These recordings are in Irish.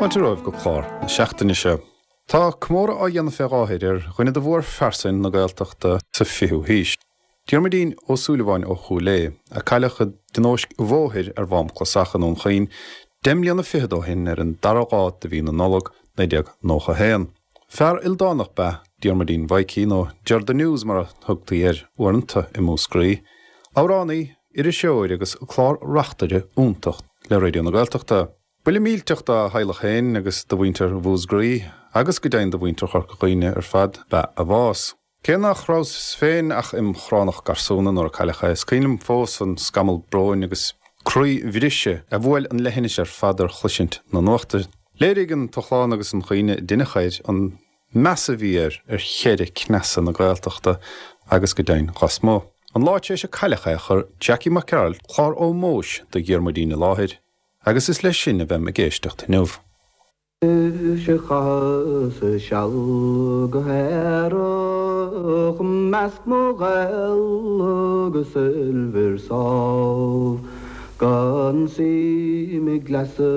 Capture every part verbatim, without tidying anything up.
Fáilte romhaibh go clár na seachtaine seo. Tá comóradh á dhéanamh fé láthair ar dhuine de mhórphearsain na Gaeltachta sa fichiú haois. Diarmuidín Ó Súilleabháin ó Chúil Aodha, a cailleadh i dtionóisc bhóthair ar Mhám Clasach i nDún Chaoin deich mbliana fichead ó shin ar an dara lá de mhí na Nollag naoi déag nócha haon. Fear ildánach ba ea Diarmuidín Mhaidhcí, nó Ger the News mar a thugtaí air uaireanta i Múscraí, amhránaí, iriseoir agus clár-reachtaire iontach le Raidió na Gaeltachta. Buille millteach dá theaghlach féin agus do mhuintir Mhúscraí agus go deimhin do mhuintir Chorca Dhuibhne ar fad ba ea a bhás. Cé nach rabhas féin ach im chránach garsúna nuair a cailleadh é, is cuimhin liom fós an scamall bróin agus croí-bhriseadh a bhuail an leithinis ar fad ar chloisint na nuachta. Léirigh an t-ochlán agus an chaoineadh a deineadh air an meas a bhí air ar cheithre cneasa na Gaeltachta agus go deimhin lasmuigh. An lá tar éis a cailleadh é chuir Jackie Mac Gearailt clár ómóis do Dhiarmuidín i láthair agus is leis sin a bheim ag éisteacht inniu. Is a chaitheas seal go haerach measc mo ghaol agus oilbhir sámh, gan suim i gcleasa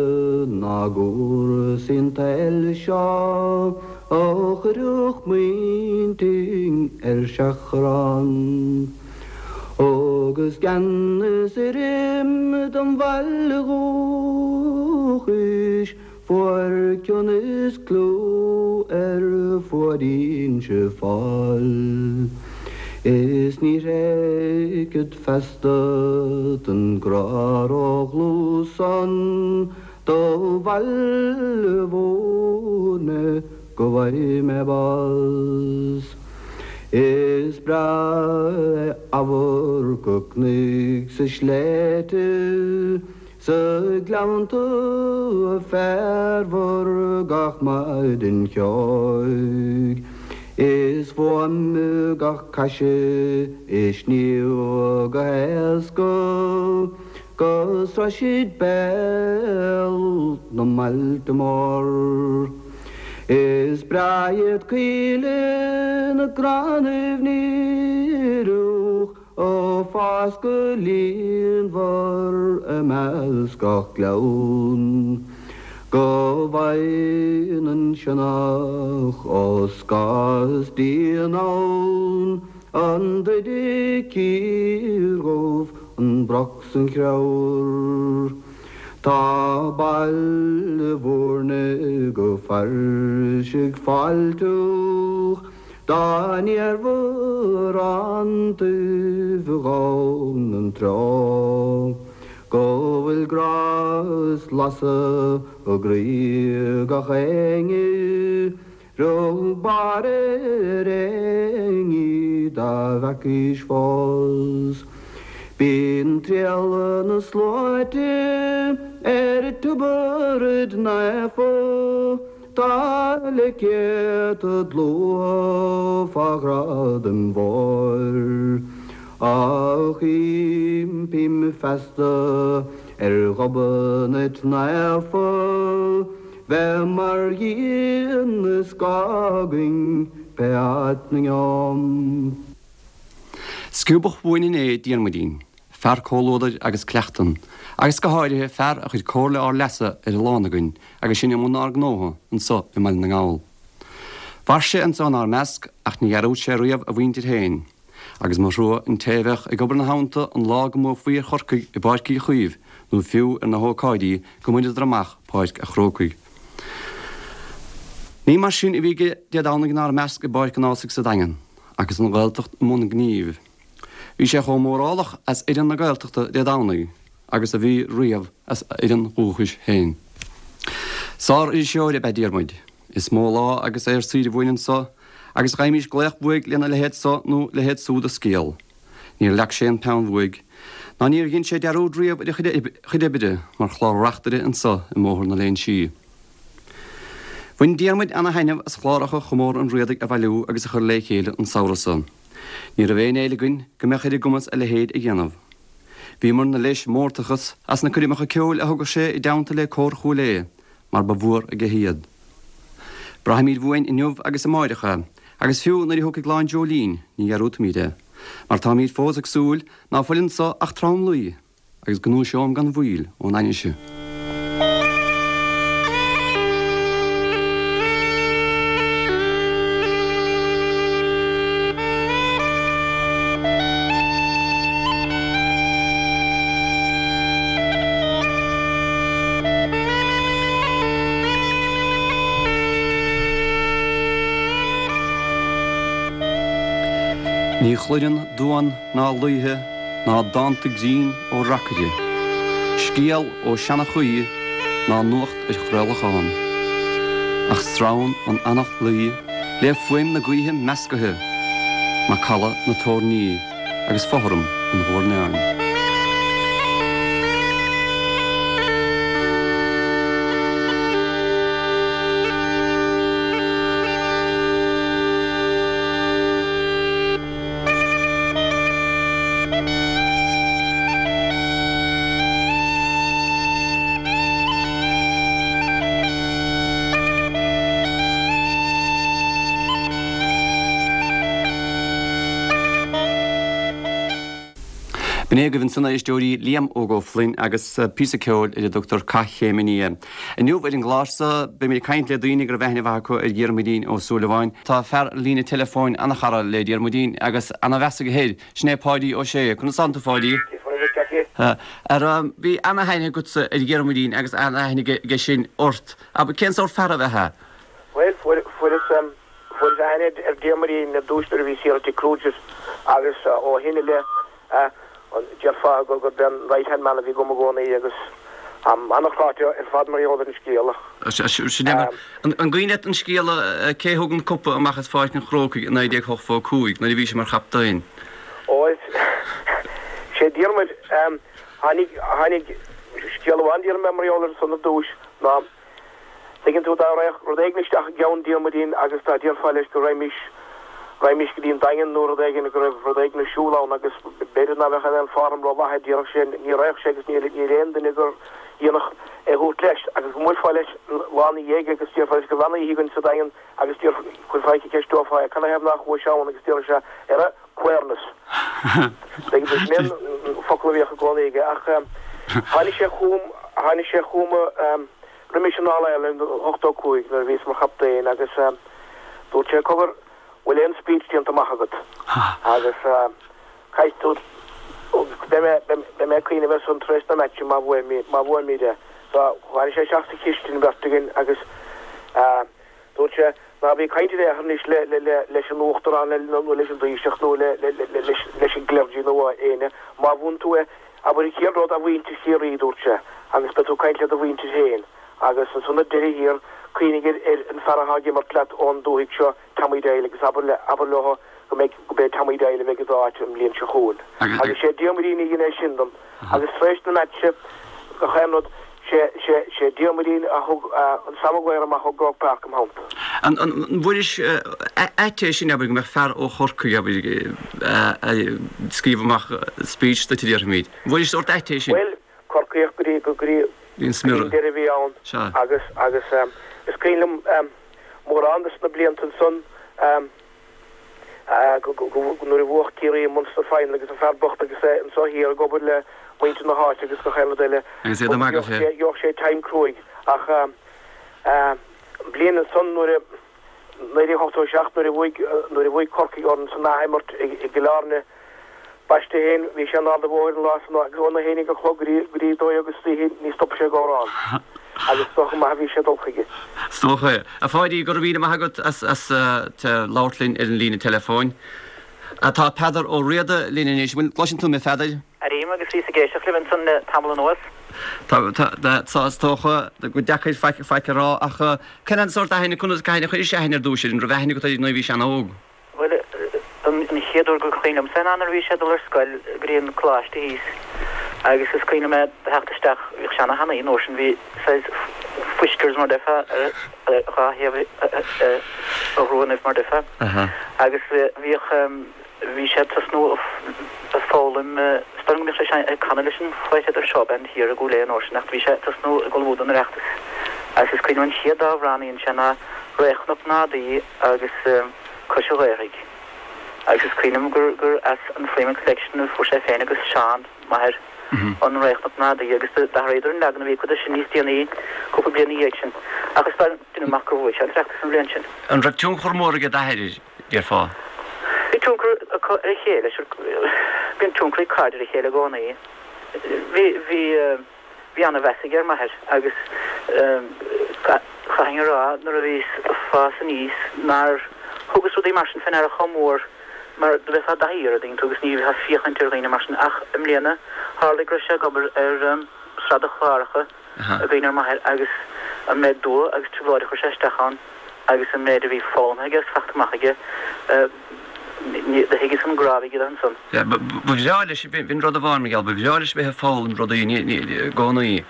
ná gcúrsaí an tsaoil seo a chuirfeadh m'intinn ar seachrán. Agus gan fhios ar im dom bhaile dhúchais fuair cion is clú ar fuaid Inse Fáil. Is ní thréigfead feasta don ghrá ródhlúth san do bhaile Mhúirne go bhfaighidh mé bás. Is breá é amharc an chnoic 's na sléibhte 's na gleannta féarmhar gach maidin cheoigh. Is fuaim gach caise ag sníomh go héasca go sroisfead béal na mbailte mór. Is breá iad coillte na gcrannaibh ndíreach a fás go líonmhar i measc gach gleann, go bhfaigheann an sionnach ó scáth is díon ann an druid ciardhubh, an broc 's an chreabhar. Tá Baile Mhúirne go fairsing fáilteach dá n-iarmhar an taobh a ghabhann an treo, go bhfuil grá is lasadh i gcroí gach éinne, rug barr ar éinne dá bhfeacaís fós. Bíonn triall na sluaite ar Tiobraid Naofa, tá le céadta dlúth fá Ghradaim Mhóir. Ach impím feasta ar Ghobnait Naofa bheith mar dhíon is scáth againn pé áit 'na ngeobham. Sciobadh uainn inné Diarmuidín, fear comhluadair agus cleachtan, agus go háirithe fear a chuir comhairle ár leasa ar a lán againn agus sinn i mbun ár ngnótha anso i mBaile na nGall. Mhair sé anso inár measc ach ní dhearúd sé riamh a mhuintir féin, agus mo thrua an té a bheadh ag obair ina theannta an lá go mbuafaí ar Chorcaigh i bPáirc Uí Chaoimh nó fiú ar na hócáidí go mbaineadar amach Páirc a' Chrócaigh. Ní mar sin a bhí aige Dé Domhnaigh inár measc i bPáirc an Ághasaigh sa Daingean agus an Ghaeltacht i mbun gnímh. Bhí sé chomh mórálach as fhoireann na Gaeltachta Dé Domhnaigh agus a bhí riamh as a fhoireann dhúchais féin. Sár-iriseoir ab ea Diarmuid. Is mó lá agus é ar saoire uainn anso agus gheibhimís glaoch uaidh lena leithéid so nó leithéid súd de scéal. Níor leag sé an peann uaidh, ná níor dhein sé dearúd riamh ar a chuid oibre mar chlár-reachtaire anso i mBóthar na Léinsí. Bhain Diarmuid ana-thaitneamh as chláracha Chomóradh an Riadaigh a bhailiú agus a chur lé chéile an samhradh so. Ní raibh aon fhéile againn go mbeadh ar a gcumas a leithéid a dhéanamh. Bhíomarna leis mórtachas as na coirmeacha ceoil a thugadh sé i dteannta le Cór Chúil Aodha mar ba mhór aige iad. Braithfimid uainn inniu agus amáireach é, agus fiú nuair a thiocfaidh lá an dreoilín ní dhearúdfaimid é, mar táimid fós ag súil ná fuil anso ach tromluí agus go ndúiseoim gan mhoill ón ainnise. Ní chluineann duan ná laoithe ná dánta grinn ó reacaire, scéal ó sheanchaí ná nuacht ar chraolachán. Ach sramhann an eanach luí le fuaim na gaoithe meascaithe, macalla na toirní agus fothram an ghuairneáin. B'in é agaibh ansan a éisteoirí Liam Óg Ó Floinn agus píosa ceoil ar a dtugtar Cath Chéim an Fhia. Inniu ar an gclár seo beimid ag caint le daoine go raibh aithne mhaith acu ar Dhiarmuidín Ó Súilleabháin. Tá fear líne teileafóin ana-chara le Diarmuidín agus ana-mheas aige air, sin é Páidí Ó Sé. Conas tánn tú a Pháidí? Ar bhí ana-aithne agatsa ar Dhiarmuidín agus ana-aithne aige sin ort. Ab cén sórt fear ab ea é? Bhuel, fuair fuaireas fuaireas aithne ar Diarmuidín ar dtús nuair a bhí siar i Cruises agus ó shin i leith déarfá go gurb é an right hand man a bhí agam i gcónaí agus an-chráite ar fad mar gheall ar an scéal. Sin é. An cuimhin leat an scéal cé thug an cupa amach as Pháirc an Chrócaigh i naoi déag ochtó a cúig nuair a bhí sé mar chaptaen? Ó is sé Diarmuid tháinig tháinig scéal amháin déarfaidh mé mar gheall air san ar dtús ná Tuigeann tú dá raghadh rud éigin isteach i gceann Diarmuidín agus dá déarfá leis go raghaimís raghaimís go dtí an Daingean nó rud éigin go raibh rud éigin ar siúl ann agus b'fhéidir ná bheadh aon form rómhaith air déarfadh sé ní raghadh sé agus níl níl aon duine gur dhéanfadh é a thabhairt leis agus go mbuailfeá leis lá ina dhiaidh agus déarfá leis go raibh an-oíche againn sa Daingean agus déarfá chuirfeá ceist, ceisteofá é canathaobh nach chuais ann agus déarfadh sé ar a queerness. Tuigeann tú sin an focal a bhíodh i gcónaí aige ach tháinig sé chugam tháinig sé chugam roimis an All-Ireland ochtó a cúig nuair a bhíos mar chaptaen agus dúirt sé cogar bhfuil aon speech déanta amach agat agus caithfidh tú beidh mé beidh mé ag cuimhneamh air san tar éis na meaitse má bhuaimid má bhuaimid é. So tháinig sé isteach sa chistin beirt againn agus dúirt sé ná bí ag caint in aon chor anois le le le leis an uachtarán nó leis an dTaoiseach nó le le le leis leis an gclergy nó éinne má bhuann tú é abair an chéad rud a mhuintir Chiarraí dúirt sé agus beidh tú ag caint le do mhuintir féin agus ansan ar deireadh thiar cuimhnigh ar ar an fear atá ag imirt leat ón dúthaigh seo Tommy Doyle agus abair le abair leo go mbeidh go mbeidh Tommy Doyle a bheidh i d'áit an bhliain seo chugainn. Agus sé Diarmuidín a dhein é sin dom agus tar éis na meaitse gach aon rud sé sé sé Diarmuidín a thug an Sam Maguire amach ó Croke Park im theannta. An an bhfuairis ait é sin abair go mbeadh fear ó Chorcaigh abair ag scríobh amach speech duit a déarfaimid. An bhfuairis sórt ait é sin? Bhuel, Corcaíoch go dtí go dtí Bhí an smior. deireadh a bhí ann Sea. agus agus is cuimhin liom mórán de na blianta ansan nuair a bhuach Ciarraí an Munster Final agus an fear bocht agus é anseo thiar ag obair le muintir na háite agus gach aon rud eile. Agus é ag magadh fé. Gheobhadh sé time cruaidh ach an bliain ansan nuair a naoi déag ochtó a seacht nuair a bhuaigh nuair a bhuaigh Corcaigh orainn san athimirt i gCill Airne B'aisteach féin, bhí sé in Ard an Bhóthair an lá san agus óna haon déag a chlog go dtí go dtí dó dhéag istoíche ní stop sé ag amhrán. Agus is dócha go maith a bhí sé ag dul chuige. Is dócha é. A Pháidí, go raibh míle maith agat as as labhairt linn ar an líne teileafóin. Tá Peadar Ó Riada linn anois. Bhfuil gcloiseann tú mé Pheadair? Airím agus bhíos ag éisteacht libh ansan le tamall anuas. Tá tá tá is dócha go deacair faic faic a rá ach cén an sórt aithne conas cathain a chuiris aithne ar dtús air an raibh aithne agat air nuair a bhí sé an-óg? Bhuel, an chéad uair gur chuimhin liomsa ná nuair a bhí sé ag dul ar scoil go dtí an coláiste thíos agus is cuimhin liom é theacht isteach, bhíodh sé ana-thanaí an uair sin, bhí saghas whiskers mar déarfá ar dhá thaobh a ghruannaibh mar déarfá agus bhíodh, bhí sé ag tosnú ag foghlaim, is dóigh liom go mbíodh sé ag canadh leis an Whitehead Show Band thiar i gCúil Aodha an uair sin ach bhí sé ag tosnú ag ullmhú don Oireachtas agus is cuimhin liom an chéad dá amhrán a dhein sé ná Ré Chnoc na nGadaí agus Cois an Ghaorthaidh. Agus is cuimhin liom gur gur as an Freeman Collection a fuair sé féin agus Seán, m'athair, an Ré Chnoc na nGadaí agus d'athraíodar an leagan a bhí acu de sin níos déanaí, cúpla bliain ina dhiaidh sin. Ach is dóigh deinim amach gur bhuaigh sé an tOireachtas an bhliain sin. An raibh tionchar mór ag d'athair air, déarfá? Bhí tionchar acu ar a chéile, sure, bíonn tionchar ag cairde ar a chéile i gcónaí. Bhí, bhí, Bhí ana-mheas aige ar m'athair agus chaithfinn a rá nuair a bhíos ag fás aníos nár thugas rudaí mar sin fé ndeara chomh mór mar do bheifeá i dtaithí air, an dtuigeann tú, agus ní bheifeá ag féachaint ar dhaoine mar sin ach i mbliana tharlaigh go raibh sé ag obair ar sraith de chláracha i gcuimhne ar m'athair agus an méid dua agus trioblóid a chuir sé isteach ann agus an méid a bhí foghlamtha aige agus faighte amach aige, do thuigeas an grá a bhí aige dó ansan. Ba bhreá leis, b'in rud amháin mar gheall, ba bhreá leis bheith ag foghlaim rudaí i gcónaí.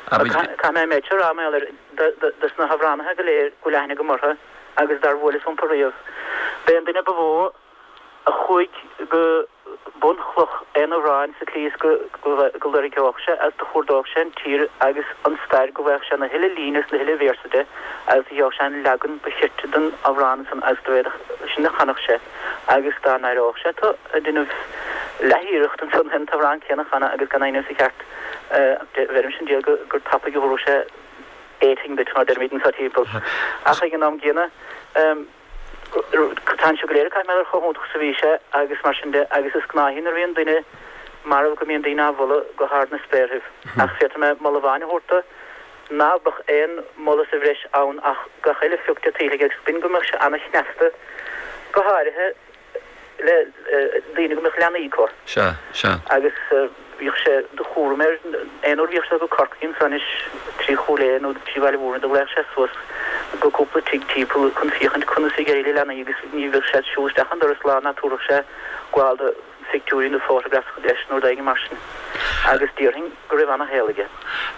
Caithfidh mé an méid seo a rá, mar gheall air, dos na hamhránaithe go léir go bhfuil aithne agam orthu agus dár bhuaileas rompu riamh, b'é an duine ba mhó a chuaigh go bunchloch aon amhráin sa tslí is go loirgeodh sé agus do chuardódh sé an tír agus an stair go bhfaigheadh sé na huile líne is na huile véarsa de agus do gheobhadh sé an leagan ba chirte den amhrán san agus do bhféadfadh sin a chanfadh sé agus dá n-aireodh sé tú ag déanamh leathiarracht ansan an t-amhrán céanna a chanadh agus gan é a dhéanamh sa cheart bheirimse an diabhal gur tapaidh a thabharfadh sé éiting duit mar deirimid anso timpeall. Ach ag an am gcéanna Tá seo go léir caithfidh mé ar chomh hiontach is a bhí sé agus mar sin de agus is gnáth nuair a bhíonn duine marbh go mbíonn daoine á mholadh go hard na spéarthaibh ach féadfaidh mé moladh amháin a thabhairt dó ná beadh aon mholadh sa bhreis ann ach gach uile phioc de tuillte aige agus b'in go mbeadh sé ana-chneasta go háirithe le daoine go mbeadh leanaí acu. Sea, sea. Agus bhíodh sé de chúram air, aon uair a bhíodh sé go Corcaigh ansan anois trí Chúil Aodha nó trí Bhaile Mhúirne do ghlaodh sé suas go cúpla tigh timpeall chun féachaint conas a bhí ag éirí le leanaí agus ní bheadh sé ag siúl isteach an doras lá ná tabharfadh sé gabháil de phictiúirí nó photographs leis nó rud éigin mar sin. Agus déarfainn go raibh ana-shaol aige.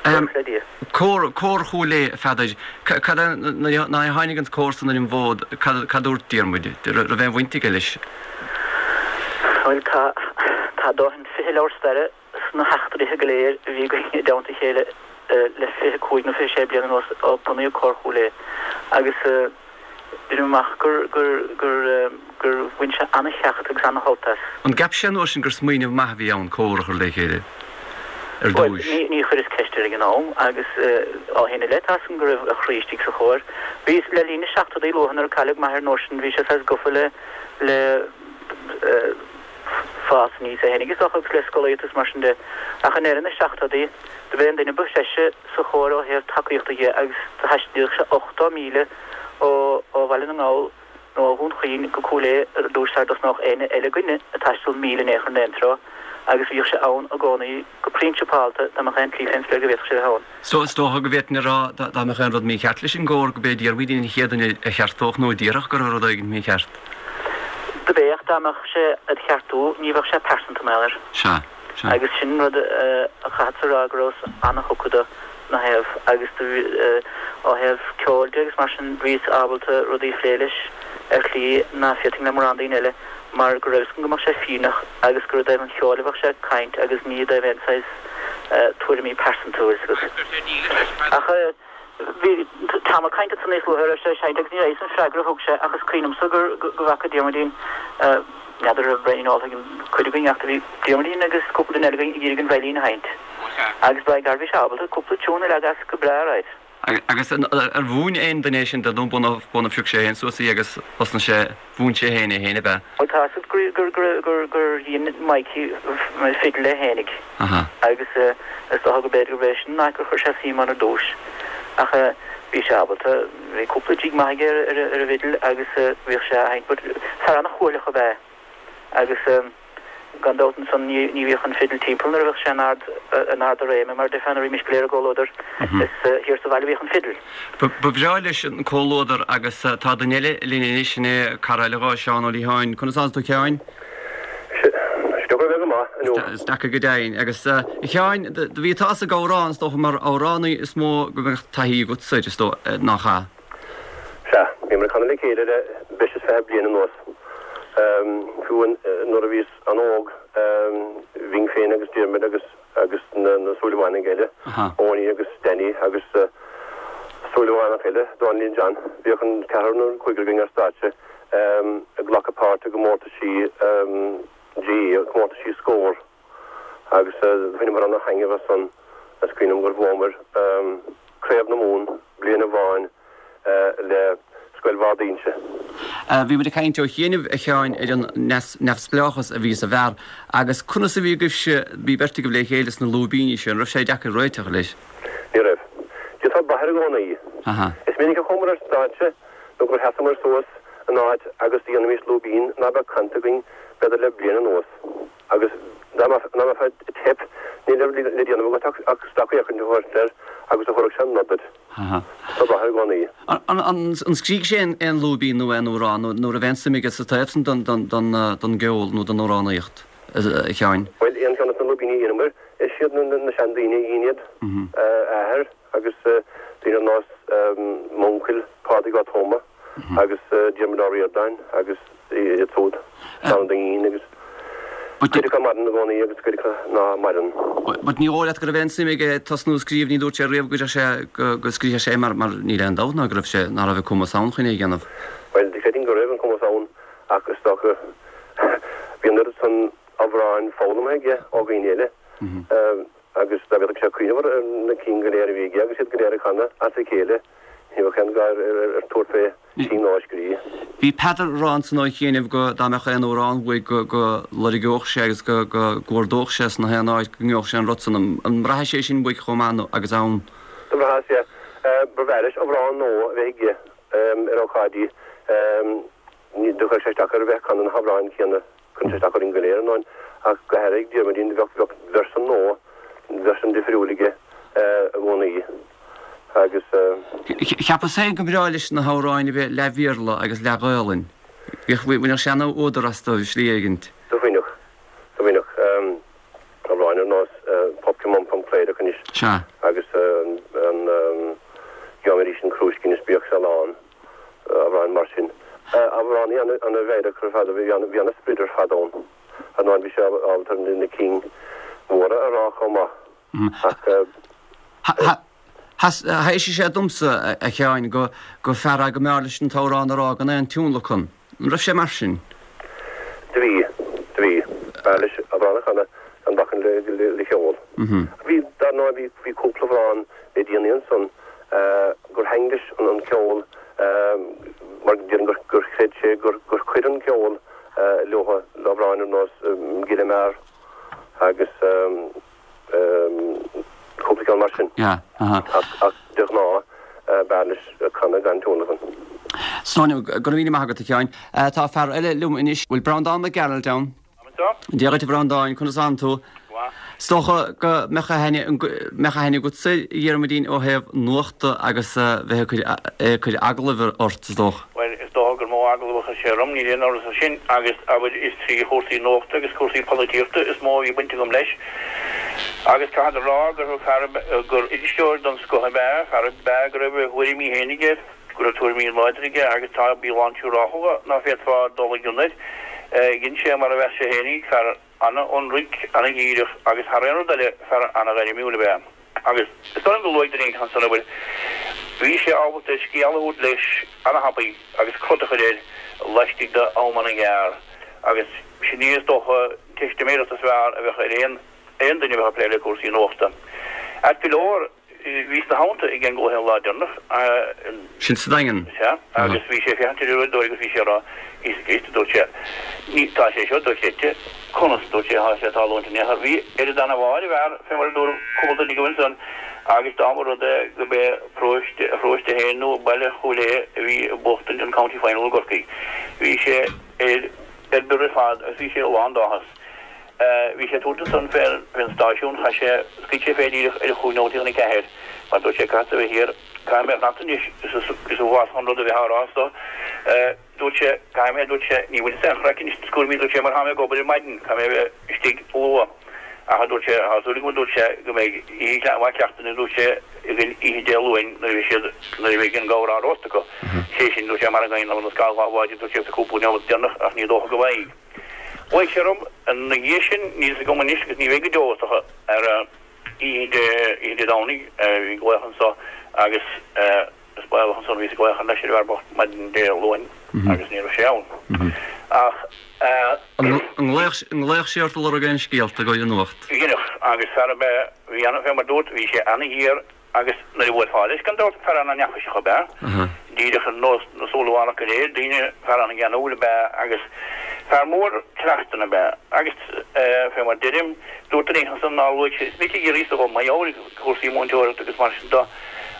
Buíochas le Dia. Cór, Cór Chúil Aodha, a Pheadair. Cad é, nuair a tháinig an cór san ar an bhfód, cad, cad dúirt Diarmuid? Raibh aon bhaint aige leis? Bhuel, tá, tá dóthain fiche leabhar staire sna heachtraithe go léir a bhí againn i dteannta a chéile le fiche cúig nó fiche sé bliana anuas ó bunaíodh Cór Chúil Aodha agus deirim amach gur, gur, gur, gur bhain sé ana-cheacht agus ana-shult as. An gceap sé an uair sin gur smaoineamh maith a bhí ann cór a chur le chéile ar Bhuel, dtúis? ní, ní chuireas ceist air ag an am agus ó shin i leith tá 'fhios agam go raibh a chroí istigh sa chór. Bhí, le linn na seachtóidí luatha nuair a cailleadh m'athair an uair sin bhí sé saghas gafa le, le fás aníos é fhéinig is dócha agus le scolaíocht is mar sin de. Ach i ndeireadh na seachtóidí do b'é an duine ba threise sa chór ó thaobh tacaíochta dhe agus do thaistilíodh sé ochtó míle ó ó Bhaile na nGall nó ó Dhún Chaoin go Cúil Aodha ar dtús sara dtosnódh éinne eile againne ag taisteal míle in aon chor in aon treo agus bhíodh sé ann i gcónaí go prionsapálta dá mbeadh aon tslí fén spéir go bhféadfadh sé a bheith ann. So is dócha go bhféadfainn a rá dá mbeadh aon rud mícheart leis an gcór go b'é Diarmuid an chéad duine a cheartódh nó a déarfadh go raibh rud éigin mícheart. Do b'é ach dá mbeadh sé ag ceartú ní bheadh sé pearsanta mar gheall air. Sea, sea. Agus sin rud a chaithfeadsa a rá go rabhas ana-thugtha do na thaobh agus do ó thaobh ceoil de agus mar sin bhíos ábalta rudaí a phlé leis ar shlí ná féadfainn le mórán daoine eile mar go raibh 'fhios agam go mbeadh sé fírinneach agus gur i dtaobh an cheoil a bheadh sé ag caint agus ní i dtaobh aon saghas tuairimí pearsanta bhfuil 'fhios agat. Ach bhí Tom ag caint ansan níos luaithe a raibh sé ag seinnt agus ní raibh 'fhios an freagra a thug sé ach is cuimhin liomsa gur go bhfaca Diarmuidín n'fheadar raibh braon ólta ag an cuid againn ach do bhí Diarmuidín agus cúpla duine eile againn ag iarraidh an veidhlín a sheinnt agus by gar bhí sé ábalta cúpla tiún a leagadh as go breá right. Agus ar mhúin aon duine é sin dó nó b'óna phioc sé féin suas í agus thosnaigh sé, mhúin sé féin é féin ab ea? Bhuel tá 'fhios agat gur gur gur gur gur dhein Mikey fidil é fhéinig agus is dócha go b'fhéidir gurb é sin an áit gur chuir sé suim ann ar dtús ach bhí sé ábalta, bhí cúpla jig maith aige ar ar an bhfidil agus bhíodh sé á sheinnt but fear ana-chúthaileach ab ea é agus gan dabht ansan ní ní bhíodh an fidil timpeall nuair a bheadh sé in ard in ard a réime mar déarfá nuair a bhímis go léir i gcomhluadar is thiar sa bhaile a bhíodh an fidil. Ba bhreá leis an comhluadar agus tá duine eile linn anois, sin é cara eile dhó, Seán Ó Liatháin. Conas tánn tú a Sheáin? Is deacair a bheith go maith, inniu. Is deacair go deimhin. Agus a Sheáin, do bhí tusa ag amhrán, is dócha, mar amhránaí is mó go mbeadh taithí agatsa air, is dóigh, nach ea? Sea, bhíomar ag canadh le chéile le breis is fiche bliain anuas. Fiú nuair a bhíos an-óg, bhínn féin agus Diarmuid agus agus na Súilleabhánaigh eile, Owenie agus Danny agus Súilleabhánach eile, Dónallín John, bhíodh an ceathrar nó an cúigear againn ar stáitse ag glacadh páirt i gcomórtaisí GAA, comórtaisí Scór, agus bhaineamar ana-thaitneamh as san. Is cuimhin liom gur bhuamar Craobh na Mumhan bliain amháin le Scoil Bharr d'Inse. Bhí muid ag caint ó chianaibh, a Sheáin, ar an neamhspleáchas a bhí sa bhfear agus conas a bhí agaibhse, bhí beirt agaibh le chéile sna lúibíní sin, an raibh sé deacair réiteach leis? Ní raibh. D'fhéadfá brath air i gcónaí. Is minic a chuamar ar stáitse nó gur sheasamar suas in áit agus do dhéanaimis lúibín ná beadh canta againn b'fhéidir le bliain anuas agus dá mbeifeá ag teip ní raibh le déanamh agat ach stacfhéachaint a thabhairt air agus a thabharfadh sé an nod duit. Tá brath i gcónaí. An scrígh sé aon lúibín nó aon amhrán nó raibh aon suim aige sa taobh san don gceol nó don amhránaíocht, a Sheáin? Bhuel, aon cheann de na lúibíní a dheineamar, is iad na seandaoine a dhein iad, a athair agus daoine ar nós m'uncail Pádraig Ó Tuama agus Diarmuid Ó Ríordáin agus iad siúd, Seán Ó Duinnín agus cuid acu maireann i gcónaí agus cuid acu ná maireann. But ní dóigh leat go raibh aon suim aige tosnú ag scríobh, ní dúirt sé riamh go raibh sé, go scríobhadh sé mar, mar níl aon dabht ná go raibh sé, ná raibh an cumas ann chun é a dhéanamh. Bhuel, creidim go raibh an cumas ann ach is dócha bhí an oiread san amhráin foghlamtha aige ó dhaoine eile agus dá bhféadfadh sé cuimhneamh ar na cinn go léir a bhí aige agus iad go léir ag canadh as a chéile, ní bheadh aon ghá ar tabhairt fé chinn nua a scríobh. Bhí Peadar ag rá ansan ó chianaibh go dá mbeadh aon amhrán uaidh go go lorgódh sé agus go go gcuardódh sé sna haon áit go ngeobhadh sé an rud san. An mbraitheas é sin uaidh chomh maith nó agus ann? Do bhraitheas, yeah. Ba bhreá leis amhrán nua a bheith aige ar ócáidí. Ní do chuir sé isteach air a bheith ag canadh na hamhráin céanna. Cuireann sé isteach orainn go léir, ar ndóin, ach go háirithe ag Diarmuidín, bheadh bheadh version nua, version difriúil aige i gcónaí agus. Cheapas féin go mbreá leis na hamhráin a bheith leath-Bhéarla agus leath-Ghaolainn. Bhíodh, bhainfeadh sé ana-fhuadar astu i slí éigint. Do bhainfeadh, do bhainfeadh. Amhráin ar nós Popkin Mum Pom Cléireach anois. Sea. Agus an Gheobhaidh mé arís an crúiscín is bíodh sé lán. Amhráin mar sin. Amhránaí ana-mheidhreach ar fad, bhí ana-sprid ar fad ann. Ar ndóigh bhí sé ábalta na cinn mhóra a rá chomh maith ach. Thaibhsigh sé domsa, a Sheáin, go gur fear é go mb'fhearr leis an t-amhrán a rá gan aon tionlacan. An raibh sé mar sin? Do bhí, do bhí. B'fhearr leis amhrán a chanadh gan bacainn le ceol. Bhí, dar ndóigh, bhí cúpla amhrán le déanaí ansan gur thaitn leis an ceol mar déarfainn gur chreid sé gur chuir an ceol leo, le hamhráin ar nós Gile Mear agus cúpla ceann mar sin. Ach de ghnáth b'fhearr leis canadh gan tionlacan. Sonia, Go raibh míle maith agat, a Sheáin. Tá fear eile liom anois. Bhfuil Breandán Mac Gearailt ann? Dia dhuit, a Bhreandáin, conas tánn tú? Is dócha go mbeadh aithne mbeadh aithne agatsa ar Dhiarmuidín ó thaobh nuachta agus bheith ag cur ag cur agallaimh ort, is dócha. Bhuel, is dócha gur mó agallamh a chuir sé orm, níl aon amhras ar sin, agus abair is trí chúrsaí nuachta agus cúrsaí polaitíochta is mó a bhí baint agam leis. Agus caithfead a rá gur fear gur iriseoir den scoth ab ea, fear ab ea go raibh a thuairimí féin aige, go raibh tuairimí láidre aige agus tá, bhí a lán siúrálacha ná féadfá dul i gcionn air. Dhein sé mar a mheas sé fhéinig, fear ana-ionraic, ana-dhíreach agus thar aon rud eile, fear ana-ghairmiúil ab ea. Agus is dóigh liom gur luaigh duine éigin ansan, abair, bhí sé ábalta scéal a thabhairt leis ana-thapaidh agus crot a chur air laistigh d'am ana-ghearr agus sin í is dócha an teistiméireacht is fearr a bheadh ar aon aon duine a bheadh ag plé le cúrsaí nuachta. Ait go leor, bhíos ina theannta ag an gcluiche an lá deireanach. Sin sa Daingean. Sea, agus bhí sé ag féachaint ar an uaireadóir agus bhí sé ag rá, Íosa Críost, a dúirt sé, ní, tá sé seo dochreidte, conas, a dúirt sé, tá sé ag tarlúint in aon chor. Bhí oiread ana-bharr a bhfear, fé mar a dúradh cúpla duine agaibh ansan, agus dá mba rud é go b'é paróiste, a pharóiste féin nó baile Chúil Aodha a bhí ag buachtaint an County Final i gCorcaigh, bhí sé ar, ar bior ar fad agus bhí sé lán d'áthas. Bhí sé ag tabhairt ansan fén stáisiún, chaith sé, scaoil sé fé díreach ar a chúig nóimeat chun a ceathair, mar dúirt sé, caithfeadsa a bheith thiar, caithfidh mé fanacht anois, is uafásach an rud a bheith á rá anso, dúirt sé, caithfidh mé, dúirt sé, ní bhainfeadh aon chraic anois na cúraimí, dúirt sé, mar tá mé ag obair ar maidin, caithfidh mé a bheith istigh luath. Ach, a dúirt sé, tá súil agam, a dúirt sé, go mbeidh oíche mhaith cleachtaidh againn, a dúirt sé, againn oíche Dé Luain nuair a bheidh siad, nuair a bheidh an gabhar á róstadh acu. Sé sin, dúirt sé, mara ngabhann an scamall dhá bháide, dúirt sé, sa cúpla neomat deireanach, ach ní dócha go bhfaighidh. Ghlaoigh sé orm ina dhiaidh sin, níl fhios agam anois agus ní bheidh go deo, is dócha, ar oíche Dé, oíche Dé Domhnaigh, bhí glaoch anso agus is baolach ansan bhíos ag glaoch leis ar an bhfear bocht maidin Dé Luain agus ní raibh sé ann. Ach. An nglaodh sé ort ag lorg aon scéalta i gcomhair an nuacht? Dheineadh, agus fear ab ea, bhí ana, fé mar dúrt, bhí sé ana-ghéar Agus nuair a bhuailfeá leis, gan dabht, fear ana-neafaiseach ab ea, díreach ar nós na Súilleabhánach go léir, daoine, fear ana-gheanúil ab ea agus fear mór tráchtanna ab ea. Agus fé mar deirim, dúirt duine éigin ansan nár luaigh sé, is minic a d'fhiafraíos de dhom, mar gheall ar chúrsaí múinteoireachta agus mar sin de,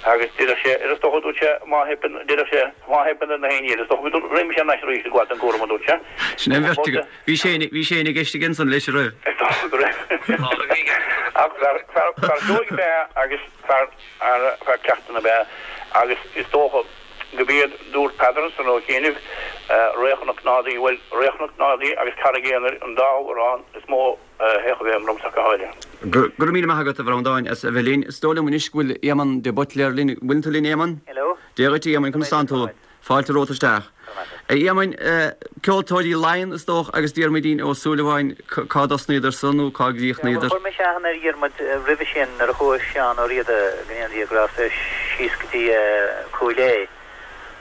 Agus déarfadh sé, is dócha, dúirt sé, má theipeann, déarfadh sé, má theipeann ar na héinne eile, is dócha go raghaidh mise thar n-ais arís ag gabháil don gcúram, a dúirt sé. Sin é an bheirt acu. Bhí sé, bhí sé ina gceist aige ansan leis, an raibh? Is dócha go raibh. Ach fear, fear, fear dóigh ab ea agus fear, fear cleachtanna ab ea agus is dócha go b'iad, dúirt Peadar ansan ó chianaibh, Ré Chnoc Nádaí, bhuel, Ré Chnoc Nádaí agus Carraig Aonair an dá amhrán is mó a théadh i bhfeidhm ormsa go háirithe. Go raibh míle maith agat, a Bhreandáin, as a bheith linn. Is dóigh liom anois go bhfuil Éamonn de Buitléar linn. Bhfuil tú linn, Éamonn? Hello. Dia dhuit, a Éamoinn, conas tánn tú? Fáilte romhat isteach. A Éamoinn, ceoltóirí Laighean, is dócha, agus Diarmuidín Ó Súilleabháin, cá dtosnaíodar san nó cá gcríochnaíodar? Chuir mise aithne ar Dhiarmuid roimhe sin nuair a chuaigh Seán Ó Riada, go ndéana Dia grásta air, síos go dtí Cúil Aodha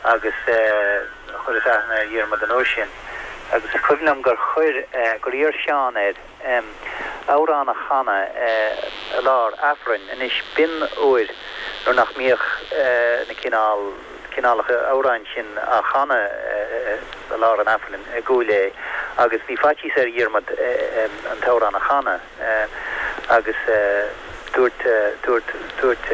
agus chuireas aithne ar Dhiarmuid an uair sin agus is cuimhin liom gur chuir, gur iarr Seán air amhrán a chanadh i lár Aifrinn. Anois b'in uair nuair nach mbíodh na cineál, cineálacha amhráin sin á chanadh i lár an Aifrinn i gCúil Aodha agus bhí faitíos ar Dhiarmuid an t-amhrán a chanadh agus dúirt, dúirt, dúirt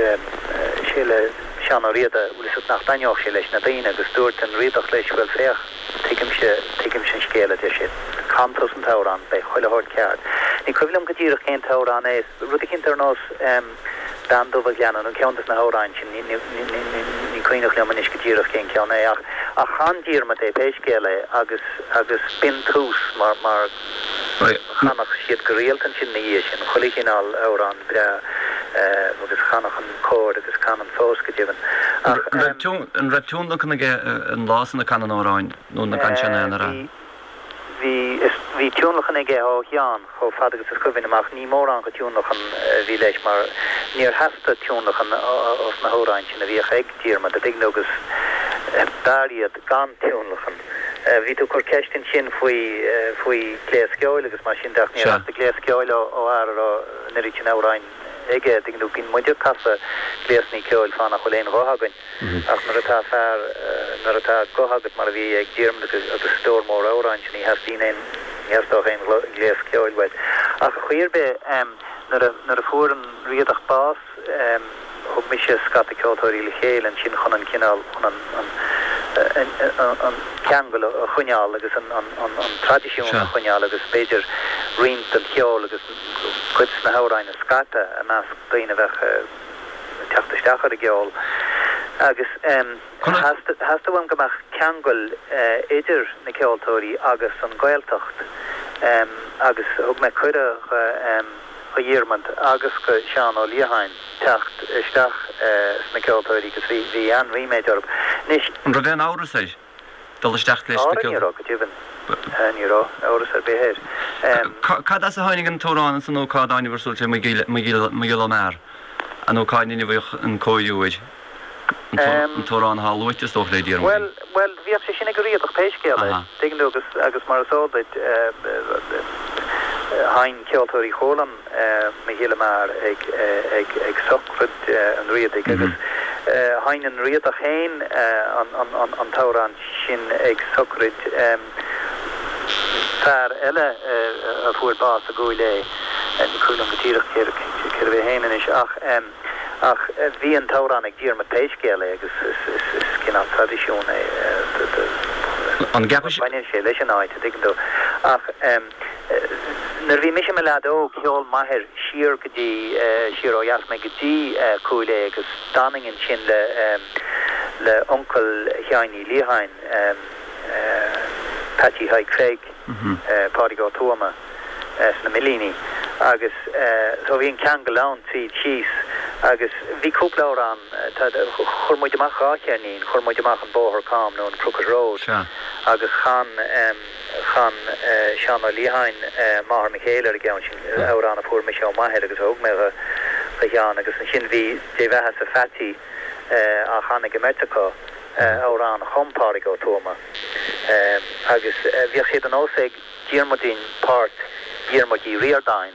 sé le Seán Ó Riada, bhfuil 'fhios agat, nach dtaitneodh sé leis na daoine agus dúirt an Riadach leis, bhuel féach, tuigimse, tuigimse an scéal, a deir sé, can tusa an t-amhrán, beidh chuile shórt ceart. Ní cuimhin liom go díreach cén t-amhrán é, rud eicínt ar nós Bean Dubh a' Ghleanna nó ceann des na hamhráin sin, ní, ní, ní, ní cuimhneach liom anois go díreach cén ceann é ach, ach chan Diarmuid é pé scéal é agus, agus b'in tús mar, mar chanadh siad go rialta ansin ina dhiaidh sin, chuile chineál amhrán breá agus chanadh an cór agus canann fós go deimhin. Ach. An raibh tionlacan aige an lá san a canadh an amhráin nó na gan sin aon Bhí, bhí, is, bhí tionlacan aige ó Sheán chomh fada agus is cuimhin liom ach ní mórán go tionlacan a bhí leis mar níor theastaigh tionlacan os na hamhráin sin a bhíodh ag Diarmuid, a' dtuigeann tú, agus b'fhearr iad gan tionlacan. Bhí tú ag cur ceist ansin faoi faoi gléas ceoil agus mar sin de ach níor theastaigh gléas ceoil ó fhear a raibh an oiread sin amhráin aige. Tuigeann tú, bíonn muid ag casadh gléasanna ceoil fá nach bhfuil aon ghuth againn ach nuair atá fear, nuair atá guth agat mar a bhí ag Diarmuid agus agus stór mór amhrán sin ní theastaíonn aon, ní theastódh aon ghléas ceoil uait. Ach chaoi ar bith nuair a nuair a fuair an Riadach bás, Thug mise scata ceoltóirí le chéile ansin chun an cineál, chun an, an ceangal a choinneáil agus an traidisiún a choinneáil agus b'fhéidir roinnt den cheol agus cuid de na hamhráin a scaipeadh i measc daoine a bheadh ag teacht isteach ar an gceol. Agus theastaigh uaim go mbeadh ceangal idir na ceoltóirí agus an Ghaeltacht agus thug mé cuireadh do do Dhiarmaid agus do Sheán Ó Liatháin teacht isteach sna ceoltóirí agus bhí bhí an-ríméad orthu. Anois. An raibh aon amhras air dul isteach leis na ceoltóirí? Ní raibh, go deimhin. Ní raibh amhras ar bith air. Cad as a tháinig an t-amhrán ansan nó cá dtáinig ar suilt Mo Ghiolla Mear nó cá ndeineadh an cóiriú air? An t-amhrán atá luaite is dócha le Diarmuid. Bhuel, bhuel, bhíodh sé sin ag an Riadach pé scéal é, tuigeann tú, agus, agus mar is eol duit, sheinn Ceoltóirí Chualann Mo Ghiolla Mear ag, ag, ag sochraid an Riadaigh agus sheinn an Riadach féin an, an, an, an t-amhrán sin ag sochraid fear eile a fuair bás i gCúil Aodha, ní cuimhin liom go díreach cérbh é féin anois ach, Ach bhí an t-amhrán ag Diarmuid pé scéal é agus is cineál traidisiún é An gceapann Baineann sé leis an áit, a dtuigeann tú. Ach nuair a bhí mise i mo leaid óg, sheol m'athair siar go dtí, siar ó dheas mé go dtí Cúil Aodha agus d'fhanainn ansin le le uncail Sheáin Uí Liatháin, Peaití Thaidhg Pheig, Pádraig Ó Tuama. sna Millíní agus so bhí an ceangal ann tríd síos agus bhí cúpla amhrán, chuir muid amach dhá cheirnín, chuir muid amach an Bóthar Cam nó an Crooked Road agus chan chan Seán Ó Liatháin Máthair mo Chéile ar an gceann sin, amhrán a fuair mise ó m'athair agus a thug mé do Sheán agus ansin bhí Dé Bheatha-sa Pheaití á chanadh ag an mbeirt acu, amhrán a chum Pádraig Ó Tuama agus bhíodh sé de nós ag. Diarmuidín páirt Dhiarmuid Uí Ríordáin,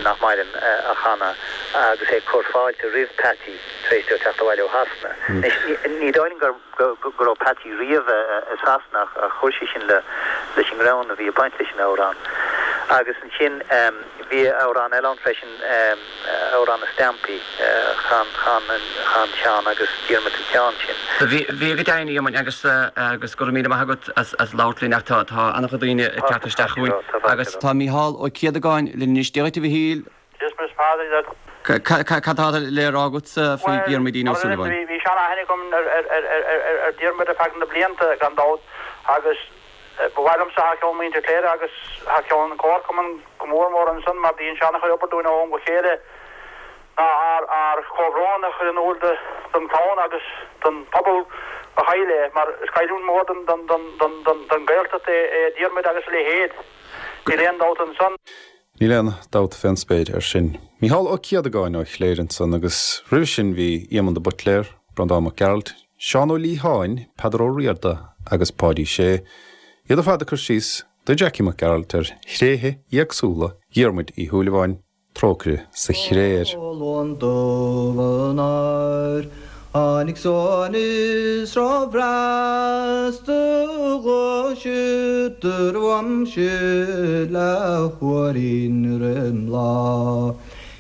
nach maireann, a chanadh agus é ag cur fáilte roimh Peaití tar éis dó teacht abhaile ó Shasana. Anois, ní dóigh liom go go raibh Peaití riamh i Sasana ach chuir sé sin leis an ngreann a bhí ag baint leis an amhrán. Agus ansin bhí amhrán eile ann freisin, amhrán na stampaí, chan chan chan Seán agus Diarmuid an ceann sin. Bhí bhí go deimhin a Éamoinn agus agus go raibh míle maith agat as as labhairt linn ach tá tá an-chuid daoine ag teacht isteach chugainn agus tá Mícheál Ó Céadagáin linn anois Dia dhuit a Mhichíl. Christmas Father Cad atá le rá agat faoi Dhiarmuidín Ó Súilleabháin? Bhí sean-aithne agam ar Diarmuid ar feadh na blianta gan dabht agus ba mhaith liomsa thar ceann muintir Chléire agus thar ceann an Chomharchumainn go mór mór ansan mar bíonn sé an-chuid obair dúinn ó am go chéile ná ár ár chomhbhrón a chur in iúl don chlann agus don phobal a chaill é mar is cailliúint mór don don don don don don Ghaeltacht é é Diarmuid agus a leithéid. Níl aon dabht ansan. Níl aon dabht fén spéir ar sin. Mícheál Ó Céadagáin ó Chléire ansan agus roimhe sin bhí Éamonn de Buitléar, Breandán Mac Gearailt, Seán Ó Liatháin, Peadar Ó Riada agus Páidí Sé. Iad ar fad ag cur síos do Jackie Mac Gearailt ar thréithe éagsúla Dhiarmuid Uí Shúilleabháin, Trócaire sa Chréir. Luan dubh an áir, tháinig san is róbhreas do ghluaiseadar uaimse leathuairín roim lá.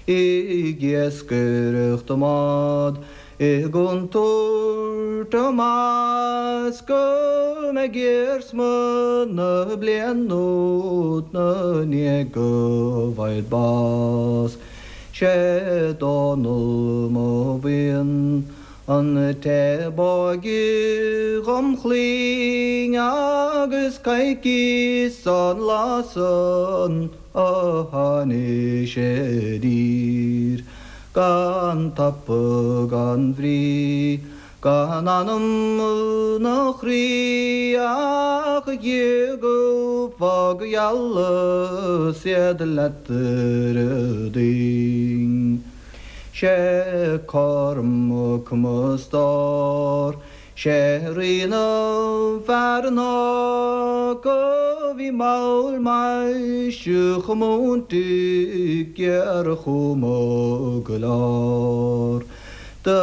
Ag iascaireacht a mbád i gcontúirt amach go mbeidh iarsma na blian úd 'na ndiaidh go bhfaighid bás. Sé Dónall mo bhuíon an té b'óige dhom chlainn agus coicís ón lá san ó tháinig sé i dtír. Gan tapa gan bhrí, gan anam ná croí ach a Dhia go bhfága ealas iad leat ar a dtoinn. Sé Cormac mo stór, sé rí na bhfear an óg a bhí mall maise chomh múinte géarchuma go leor. Do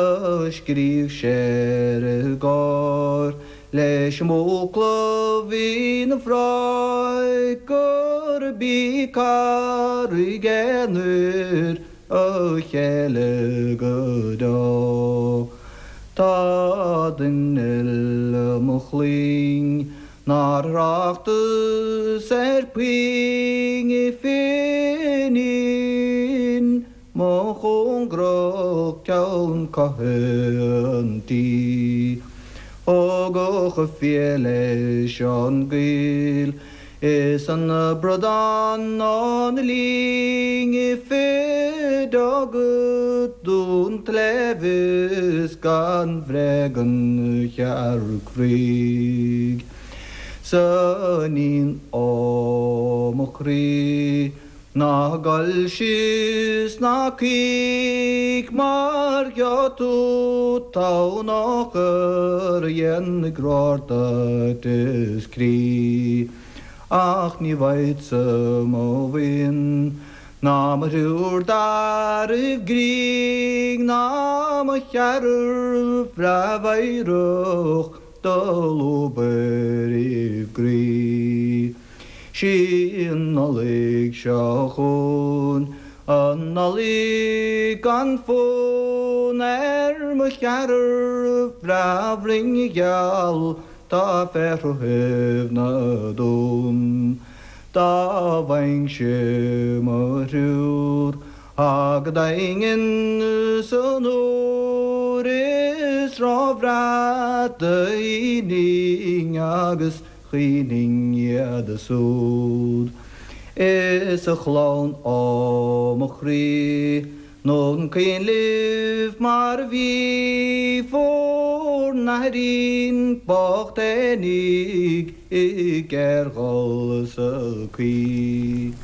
scríobh sé ar an gcór leis an mbuachaill a bhí 'na bhráid gurb í carraig aonair a chéile go deo. Tá duine eile mo chlainn nár thráchtas ar puinn i Finín mo chóngarach ceann catha an tí. Ó go fial leis an gcoill is an bradán ná na linn i fid agat dún tlevis gan bhréag an chearc fhraoigh. Sa níon ó mo chroí ná gol síos ná caoch mar gheobhaidh tú tonn achar a dhéanfaidh roir duit is croí. Ach ní bhfaighidse mo bhuíon ná mo thriúr d'fhearaibh grinn ná mo cheathrar bhreá mheidhreach do lúb ar a gcroí. Sí an Nollaig seo chugainn, an Nollaig gan fonn ar mo cheathrar bhreá bhroinne gheal tá féar thaobh na dtonn. Dá bhfaighinnse mo thriúr go daingean san úr is róbhreá d'aoinfinn agus chaoinfinn iad súd. Is a chlann ó mo chroí nó an cuimhin libh mar a bhí bhur n-aithrín bocht fhéinig ag géarghol sa gcaoi.